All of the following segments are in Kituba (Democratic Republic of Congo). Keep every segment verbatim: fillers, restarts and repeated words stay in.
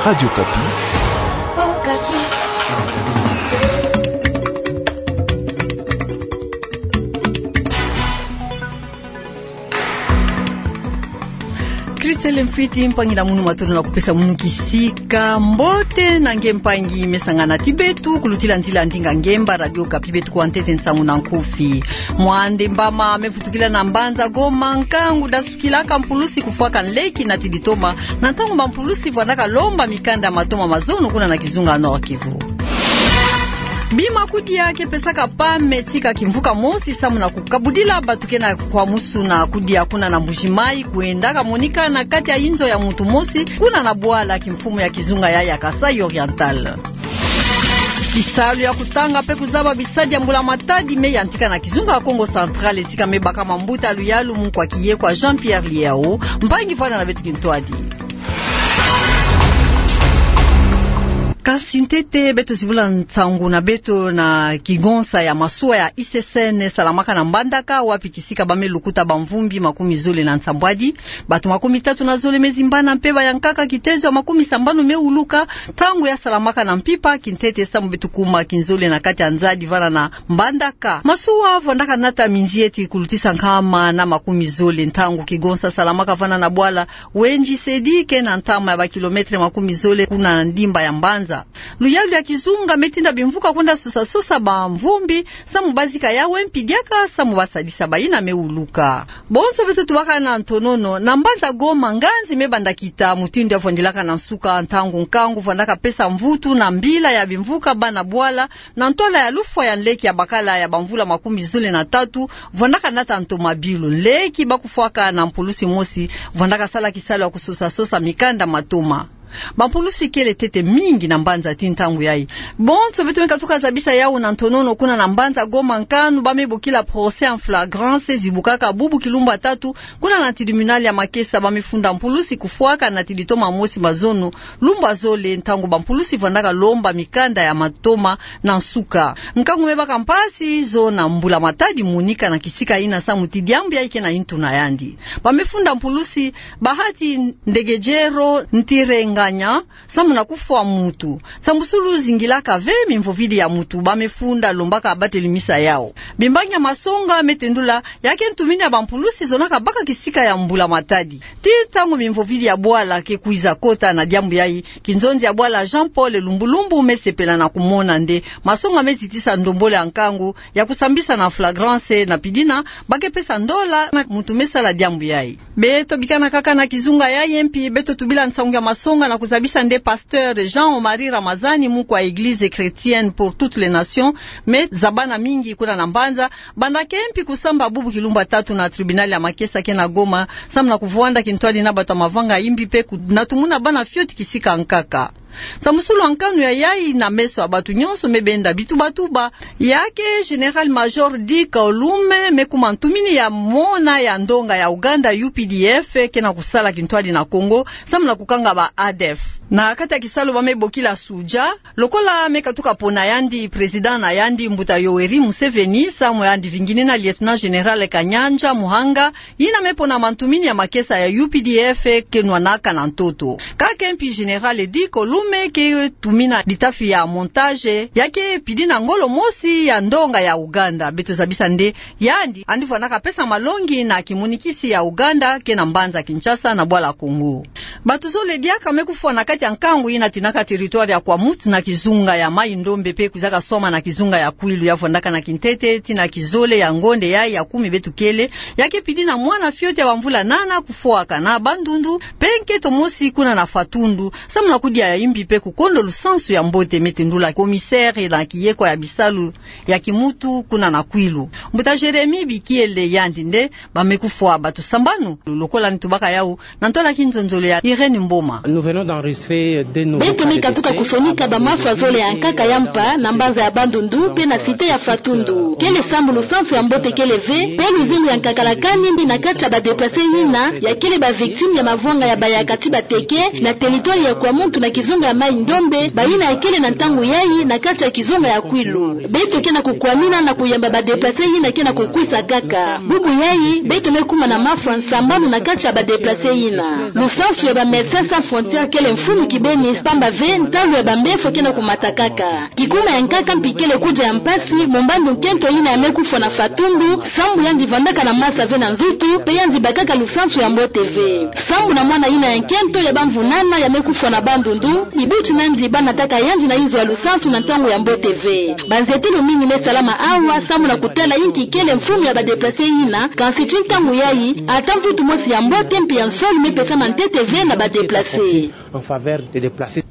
Radio Okapi. Christelle Mfwiti, mpangi na munu matolo na kupesa munu kisika. Mbote na nge mpangi me sangana ti beto kulutila nzila ndinga ngemba Radio Okapi, beto kuwa ntete nsangu na nkufi. Mwande mbama me vutukila na mbanza Goma nkangu dasukilaka mpulusi kufwaka nleki na tiditoma, na ntangu bampulusi vwandaka lomba mikanda matoma mazono kuna na kizunga Nord-Kivu. Bima kudia ke pesaka pame tika kimvuka mosi samu na kukabudila bato ke na kwa musu na kudia kuna na Mbuji-Mayi kwendaka monika na kati ya inzo ya muntu mosi kuna na bwala kimfumu ya kizunga ya, ya Kasaï Oriental. Bisalu ya kutanga pe kuzaba bisadi ya mbula matadi me yantika na kizunga ya Kongo Central, tika me baka mambuta luyalu mu kwa kiye kwa Jean-Pierre Liao, mpangi vwanda na beto kintwadi. Kasi ntete beto zibula nsangu na beto na kigonsa ya masuwa ya I C C N salamaka na Mbandaka, wapi kisika bame lukuta bamvumbi makumi zole na nsambwadi. Bato makumi tatu na zole me zimbana mpe bayankaka kitezo ya makumi sambanu me wuluka, ntangu ya salamaka na mpimpa kintete samu beto kuma kinzole na kati ya nzadi vwanda na Mbandaka. Masuwa vwandaka nata minzieti kulutisa nkama na makumi zole ntangu kigonsa salamaka vwanda na bwala Wendji Sedi ke na ntama ya bakilometre makumi zole kuna ndimba ya mbanza. Luyalu ya kizunga me tinda bimvuka kwenda sosa-sosa bamvumbi, samu bazika yawu mpi diaka, samu basadisa bayina me wuluka. Bonso beto tubaka na ntonono, na mbanza Goma nganzi me banda kita, mutindu ya vwandilaka na nsuka, ntangu nkangu vwandaka pesa mvutu na mbila ya bimvuka bâ na bwala, na ntwala ya lufwa ya nleki ya bakala ya bamvula makumi zole na tatu, vwandaka nata ntomabilu. Nleki bakufwaka na mpulusi mosi, vwandaka sala kisalu ya kusosa-sosa mikanda matoma. Bampulusi kele ntete mingi na mbanza ti ntangu yayi. Bonso beto me katuka zabisa yawu na ntonono kuna na mbanza Goma nkanu bame bokila procès en flagrance zibukaka bubu kilumbu ya tatu, kuna na tribunal ya Makesa bame funda mpulusi kufwaka na tiditoma mosi mazono, lumbu ya zole ntangu bampulusi vwandaka lomba mikanda ya matoma na nsuka. Nkangu me baka mpasi zo na mbula matadi monika na kisika yina samu ti diambu yayi ke na yintu na yandi. Bame funda mpulusi Bahati Ndegejero Ntirenganya, samu na kufwa mutu. Nsambusulu zingilaka ve mimvovidi ya mutu bame funda lombaka bateli misa yawu. Bimbangi ya masonga me tendula, ya ke ntumini ya bampulusi zonaka baka kisika ya mbula matadi. Ti ntangu mimvovidi ya bwala ke kwiza kota na diambu yayi, kinzonzi ya bwala Jean Paul Lumbulumbu me sepela na kumona nde masonga me zitisa ndombolo ya nkangu ya kusambisa na flagrance na pidina, ba ke pesa ndola na mutu me sala diambu yayi. Beto bikana kaka na kizunga yayi mpi, beto tubila nsangu ya masonga na kuzabisa nde pasteur Jean Omari Ramazani, mu kwa Église Chrétienne pour toutes les Nations, me zabana mingi kuna na mbanza, banda ke mpi kusamba bubu kilumbu ya tatu na tribunal ya Makesa ke na Goma, samu na kuvwanda kintwadi na bato ya mavanga imbi mpe ku-, na tumuna bana fioti kisika nkaka. Nsambusulu ya nkanu ya yayi na meso ya bato nyonso me benda bitubatuba, ya ke Général-Major Dick Olume me kuma ntumini ya mona ya ndonga ya Ouganda U P D F ke na kusala kintwadi na Congo, samu na kukanga ba A D F. Na kati ya kisalu bame bokila Suja, lokola me katuka pona yandi président na yandi mbuta Yoweri Museveni, samu yandi vinginina Lieutenant-Général Kanyanja Muhanga, yina me pona mantumini ya makesa ya U P D F ke nwanaka na ntoto. Kake mpi Général Dick Olume ke tumina litafi ya montage, ya ke pidina ngolo mosi ya ndonga ya Ouganda. Beto zabisa nde yandi, yandi vwanaka pesa malongi na kimonikisi ya Ouganda ke na mbanza Kinshasa na bwala Congo. Bato zole diaka me kufwa na kati ya nkangu yina tinaka territoire ya Kwamouth na kizunga ya Maï-Ndombe mpe kwizaka swama na kizunga ya Kwilu. Ya vwandaka na kintete tii na kizole ya ngonde yayi ya kumi beto kele, ya ke pidina mwana fioti ya bamvula nana kufwaka na Bandundu, mpe nketo mosi kuna na Fatundu, samu na kudia ya imbi mpe kukondo lusansu ya mbote, me tendula commissaire na kiyekwa ya bisalu ya kimutu kuna na Kwilu. Mbuta Jérémie Bikiele yandi nde ba me kufwa bato sambanu lokola nitubaka yawu, na ntwala kinzonzolo ya Irène Mboma. Nous venons d'enregistrer deux nouveaux cas de décès. Beto me katuka kusonika bamafwa zole ya nkaka ya mpa na mbanza ya Bandundu mpe na cité ya Fatundu. Kele sambu lusansu ya mbote kele ve, mpe luzingu ya nkakalakani mbi na kati ya ba déplacés yina ya kele ba victimes ya mavwanga ya bayaka ti bateke na territoire ya Kwamouth na kizunga ya Maï-Ndombe, bayina ya kele na ntangu yayi na kati ya kizunga ya Kwilu. Beto ke na kukwamina na kuyamba ba déplacés yina ke na kukwisa kaka. Bubu yayi, beto me kuma na mafwa sambanu na kati ya ba déplacés yina. Lusansu ya ba Médecins Sans Frontières kele mfunu Kibeni, pamba ve ntalu ya bambefo ke na kumata kaka. Kikuma ya nkaka mpi kele kudia ya mpasi mu mbandu nkento yina ya me kufwa na fatundu, sambu yandi vandaka na masa ve na nzutu, mpe yandi bakaka lusansu ya mbote ve. Sambu na mwana yina ya nkento ya bamvu nana ya me kufwa na bandundu, ibuti nandi banataka yandi na inzo ya lusansu na ntangu ya mbote ve. Banzietelo mingi me salama awa, sambu na kutala inki kele mfunu ya ba déplacés yina, kansi ti ntangu yayi, ata mvutu mosi ya mbote mpe ya nsoni me pesama ntete ve na ba déplacés. En faveur des déplacés.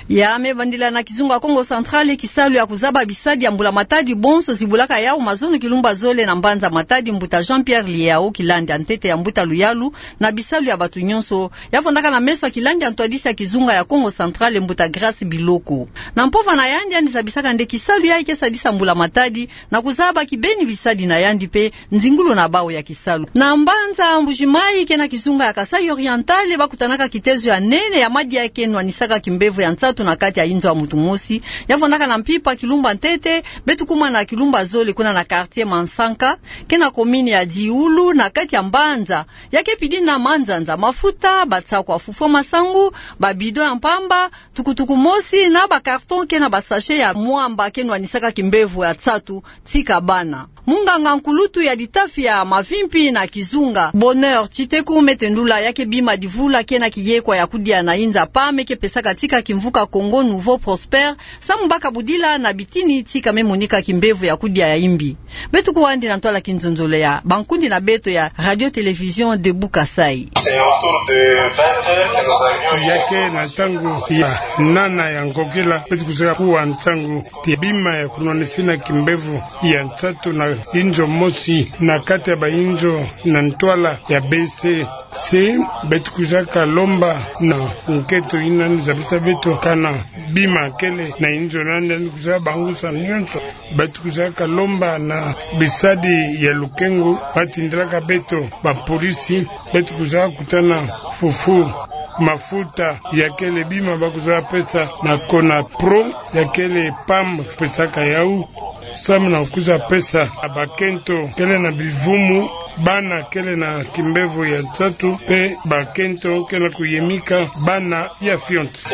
Ya me bandila na kizunga Kongo Central, kisalu ya kuzaba bisadi ya mbula matadi bonso zibulaka yawu mazono kilumbu zole na mbanza Matadi, mbuta Jean-Pierre Liyao, kilandi ya ntete ya mbuta luyalu na bisalu ya batu nyonso, ya vandaka na meso ya kilandi ya ntwadisi ya kizunga ya Kongo Central, mbuta Grâce Biloko. Na mpova na yandi, yandi zabisaka nde kisalu yayi ke sadisa mbula matadi, na kuzaba kibeni bisadi na yandi mpe nzingulu na bawu ya kisalu. Na mbanza Mbuji-Mayi, ke na kizunga ya Kasaï Oriental, bakutanaka kitezo ya nene ya madia ke nwanisaka kimbevo ya nsatu na kati ya inzo ya mutu mosi, ya vandaka na mpimpa kilumbu ntete, beto kuma na kilumbu zole kuna na quartier Mansanka, ke na commune ya Dioula, na kati ya mbanza, ya ke pidi na manzanza, mafuta, batsakwa fufwa masangu, ba bidon ya mpamba, tukutuku mosi na ba carton ke na ba sachet ya mwamba ke nwanisaka kimbevo ya nsatu, tika bana. Munganga nkulutu ya litafi ya mavimpi na kizunga, Bonheur Tshiteku, me tendula ya ke bima divula ke na kiyekwa ya kudia na inza pame ke pesaka tika kimvuka Congo Nouveau Prospère, sambu baka budila na bitini tika me monika kimbevo ya kudia ya imbi. Beto kwandi na ntwala kinzonzolo ya bankundi na beto ya Radio Télévision Debout Kasaï. Ya ke na ntangu ya nana ya ngokila, beto kuzaka kuwa nsangu ti bima ya kunwanisina kimbevo ya nsatu na inzo mosi na kati ya ba inzo na ntwala ya B C C. Beto kuzaka lomba na nkento yina zabisa beto kana bima kele na inzo nandi, yandi kuzaka bangusa nyonso. Beto kuzaka lomba na bisadi ya lukengu, ba tindilaka beto ba polisi, beto kuzaka kutana fufu, mafuta, ya kele bima ba kuzaka pesa na Conapro, ya kele pam pesaka yawu, sambu na kuzaka pesa na bakento kele na bivumu, bana kele na kimbevo ya nsatu, mpe bakento kele na kuyemika bana ya fionti.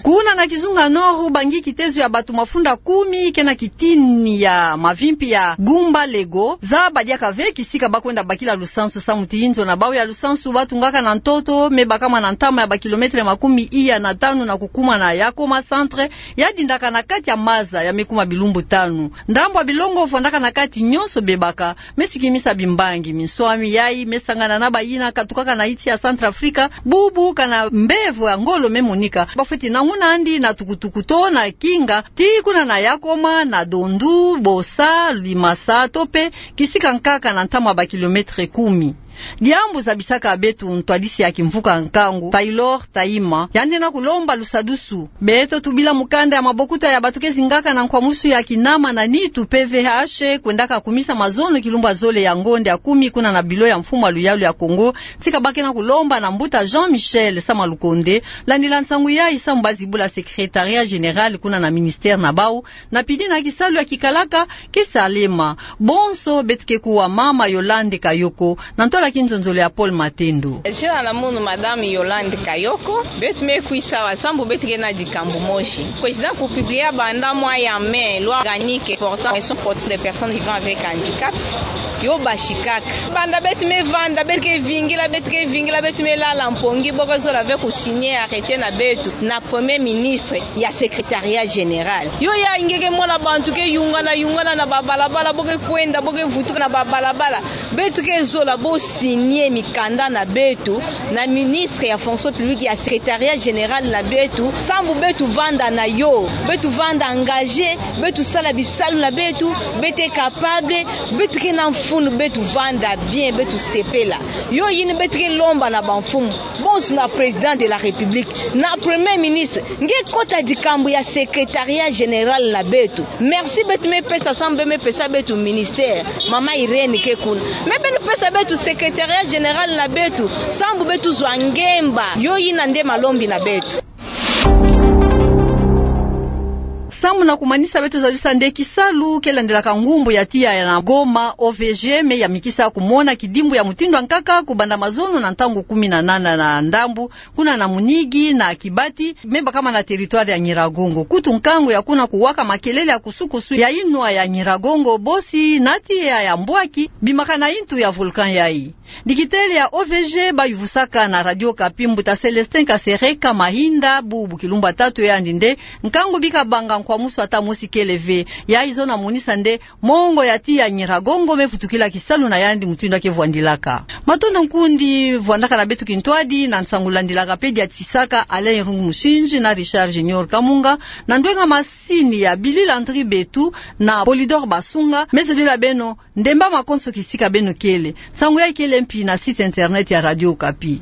Kuna na kizunga Nord, bangi kitezo ya batu mafunda kumi ke na kitini ya mavimpi ya Gumba Lego, zaba diaka ve kisika ba kwenda bakila lusansu, sambu ti inzo na bawu ya lusansu ba tungaka na ntoto me bakama na ntama ya ba kilomètre makumi iya na tanu na kukuma na Yakoma Centre, ya dindaka na kati ya maza ya me kuma bilumbu tanu. Ndambu ya bilongo vandaka na kati nyonso bebaka, me sikimisa bimbangi. Minswami yayi me sangana na bayina katukaka na insi ya Centrafrique, bubu kana mbevo ya ngolo me monika, ba fweti nanguna andi na tukutuku to na kinga, ti kuna na Yakoma, na Dondu, Bossa, Limasa, to mpe kisika nkaka na ntama ba kilomètre kumi. Diambu zabisaka beto ntwadisi ya kimvuka nkangu, Taylor Taima, yandi na kulomba lusadusu. Beto tubila mukanda ya mabokuta ya bato ke zingaka na nkwamusu ya kinama na nitu, P V H, kwendaka kumisa mazono kilumbu zole ya ngonde ya kumi kuna na bilo ya mfumu ya luyalu ya Congo, tika ba ke na kulomba na mbuta Jean-Michel Sama Lukonde, landila nsangu yayi, sambu ba zibula secrétariat général kuna na ministère na bawu, na pidi na kisalu ya kikalaka ke salema. Bonso beto ke kuwa mama Yolande Kayoko, na ntwala kinzonzolo ya Paul Matendo. Zina na munu Madame Yolande Kayoko. Beto me kwisa awa sambu beto ke na dikambu mosi. Président ku publier banda mois ya mai loi organique portant protection des personnes vivant avec handicap. Yo basikaka. Banda beto me vanda, beto ke vingila, beto ke vingila, beto me lala mpongi, bo ke zola ve ku signer arrêté na beto na Premier ministre ya secrétariat général. Yo ya nge ke mona bantu ke yungana, yungana na ba balabala, bo ke kwenda, bo ke vutuka na ba balabala. Beto ke zola bo signer mikanda na beto na ministre ya fonction publique, ya secrétariat général na beto, sambu beto vanda na yo, beto vanda engagé, beto sala bisalu na beto, beto ke capable, beto ke na mfunu, beto vanda bien, beto sepela. Yo yina beto ke lomba na bamfumu bonso, na Président de la République, na Premier ministre, nge kota dikambu ya secrétariat général na beto. Merci beto me pesa, sambu me pesa beto ministère, Mama Irène ke kuna. Mais beno pesa beto secrétariat général na beto, sambu beto zwa ngemba. Yo yina nde malombi na beto. Samu na kumanisa, beto zalisa nde kisalu ke landelaka ngumbu ya tiya ya na Goma, O V G, me yamikisa kumona kidimbu ya mutindu ya nkaka kubanda mazono na ntangu kumi na nana na ndambu, kuna na Munigi na Kibati, me bakama na territoire ya Nyiragongo. Kutu nkangu ya kuna kuwaka makelele ya kusukusu ya inwa ya Nyiragongo, bosi na tiya ya mbwaki bimakana intu ya volcan yayi. Dikitele ya O V G bayuvusaka na Radio Okapi, mbuta Célestin Kasereka Mahinda, bubu kilumbu ya tatu yandi nde nkangu bika banga nkwamusu ata mosi kele ve. Yayi zona monisa nde mongo ya tiya Nyiragongo me vutukila kisalu na yandi mutindu ya ke vwandilaka. Matondo nkundi vwandaka na beto kintwadi na nsangu landilaka pe diatisaka Alain Irungu Musinji na Richard Junior Kamunga, na ndwenga masini ya Billy Landry Betu na Polydor Basunga, me zolila beno ndemba makonso kisika beno kele. Nsangu yayi kele mpi na site internet ya Radio Okapi.